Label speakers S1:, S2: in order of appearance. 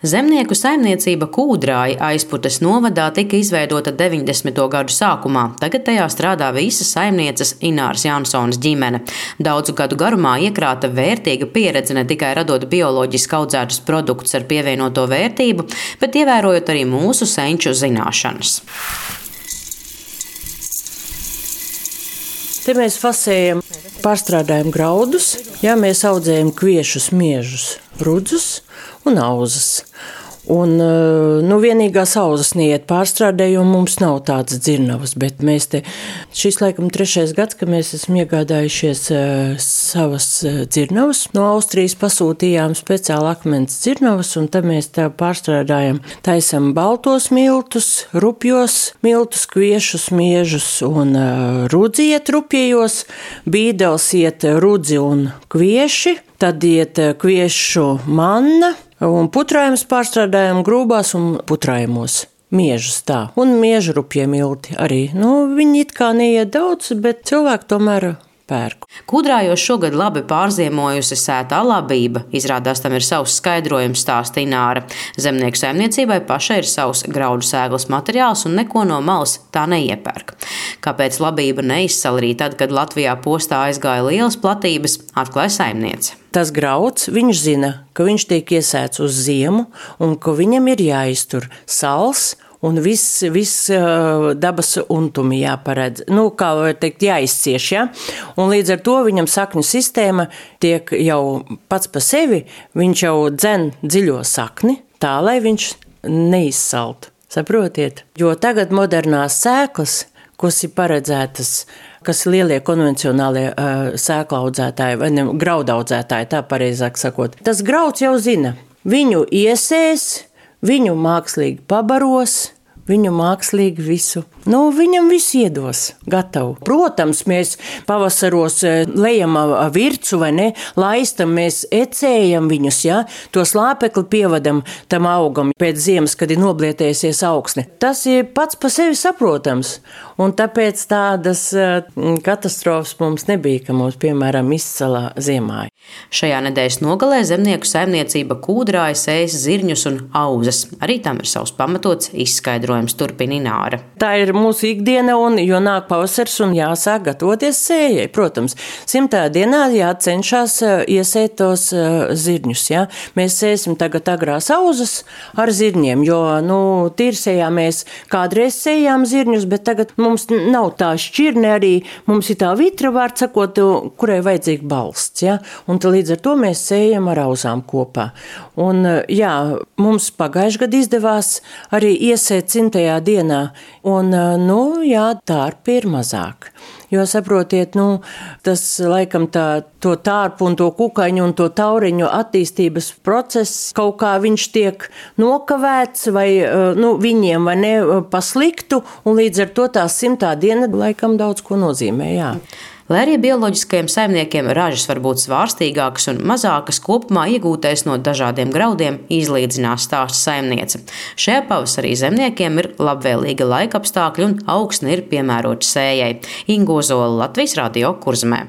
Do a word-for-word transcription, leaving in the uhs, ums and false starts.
S1: Zemnieku saimniecība Kūdrāji Aizputes novadā tika izveidota deviņdesmito gadu sākumā. Tagad tajā strādā visas saimnieces Ināras Jansonas ģimene. Daudzu gadu garumā iekrāta vērtīga pieredze ne tikai radot bioloģiski audzētus produktus ar pievienoto vērtību, bet ievērojot arī mūsu senču zināšanas.
S2: Te mēs fasējam, pārstrādājam graudus, jā, mēs audzējam kviešus, miežus, rudzus un auzas. Un, nu, vienīgās auzas neiet pārstrādē, jo mums nav tādas dzirnavas, bet mēs te, šis laikam trešais gads, ka mēs esam iegādājušies uh, savas uh, dzirnavas. No Austrijas pasūtījām speciāli akmens dzirnavas, un tad mēs tā pārstrādājam, taisam baltos miltus, rupjos miltus, kviešus, miežus un uh, rudzi iet rupjējos, bīdels iet rudzi un kvieši, tad iet kviešu manna, un putrājums pārstrādājam grūbās un putrājumos. Miežus tā. Un miežu rupjie milti arī. Nu, viņi it kā neiet daudz, bet cilvēki tomēr pērku.
S1: Kūdrājos šogad labi pārziemojusi sētā labība. Izrādās tam ir savs skaidrojums, stāsta Ināra. Zemnieku saimniecībai pašai ir savs graudu sēklas materiāls un neko no malas tā neiepērk. Kāpēc labība neizsala arī tad, kad Latvijā postā aizgāja lielas platības, atklāja saimniece.
S2: Tas grauds, viņš zina, ka viņš tiek iesēts uz ziemu un ka viņam ir jāiztur sals un viss, viss dabas untumi jāparedz. Nu, kā var teikt, jāizcieš, ja? Un līdz ar to viņam sakņu sistēma tiek jau pats pa sevi, viņš jau dzen dziļo sakni, tā, lai viņš neizsalt. Saprotiet? Jo tagad modernās sēklas, kas ir paredzētas, kas ir lielie konvencionālie uh, sēklaudzētāji vai ne, graudaudzētāji, tā pareizāk sakot. Tas grauds jau zina, viņu iesēs, viņu mākslīgi pabaros, viņu mākslīgi visu. Nu, viņam viss iedos, gatavu. Protams, mēs pavasaros lejam vircu vai ne, laistam, mēs ecējam viņus, ja, to slāpekli pievadam tam augam pēc ziemas, kad ir noblietējusies augsne. Tas ir pats pa sevi saprotams, un tāpēc tādas katastrofas mums nebija, ka mums, piemēram, izcala ziemā.
S1: Šajā nedēļas nogalē zemnieku saimniecība Kūdrāji sēs zirņus un auzas. Arī tam ir savs pamatots izskaidrojums, turpina Ināra.
S2: Tā ir mūsu ikdiena, un jo nāk pavasars un jāsāk gatavoties sējai. Protams, simtā dienā jācenšas iesēt tos zirņus. Ja? Mēs sēsim tagad agrās auzas ar zirņiem, jo, nu, tīrsējā mēs kādreiz sējām zirņus, bet tagad mums nav tā šķirne arī, mums ir tā vitra, vārds sakot, kurai vajadzīga balsts. Ja? Un līdz ar to mēs sējam ar auzām kopā. Un, jā, mums pagājuši gadu izdevās arī iesēt simtajā dienā, un, nu, jā, tārpi ir mazāk. Jo, saprotiet, nu, tas laikam tā, to tārpu un to kukaiņu un to tauriņu attīstības process, kaut kā viņš tiek nokavēts vai, nu, viņiem vai ne pasliktu, un līdz ar to tā simtā diena laikam daudz ko nozīmē, jā.
S1: Lai arī bioloģiskajiem saimniekiem ražas var būt svārstīgākas un mazākas, kopumā iegūtais no dažādiem graudiem izlīdzinās, stāsta saimniece. Šajā pavasarī zemniekiem ir labvēlīga laika apstākļi un augsne ir piemērota sējai. Inga Ozola, Latvijas Radio, Kurzemē.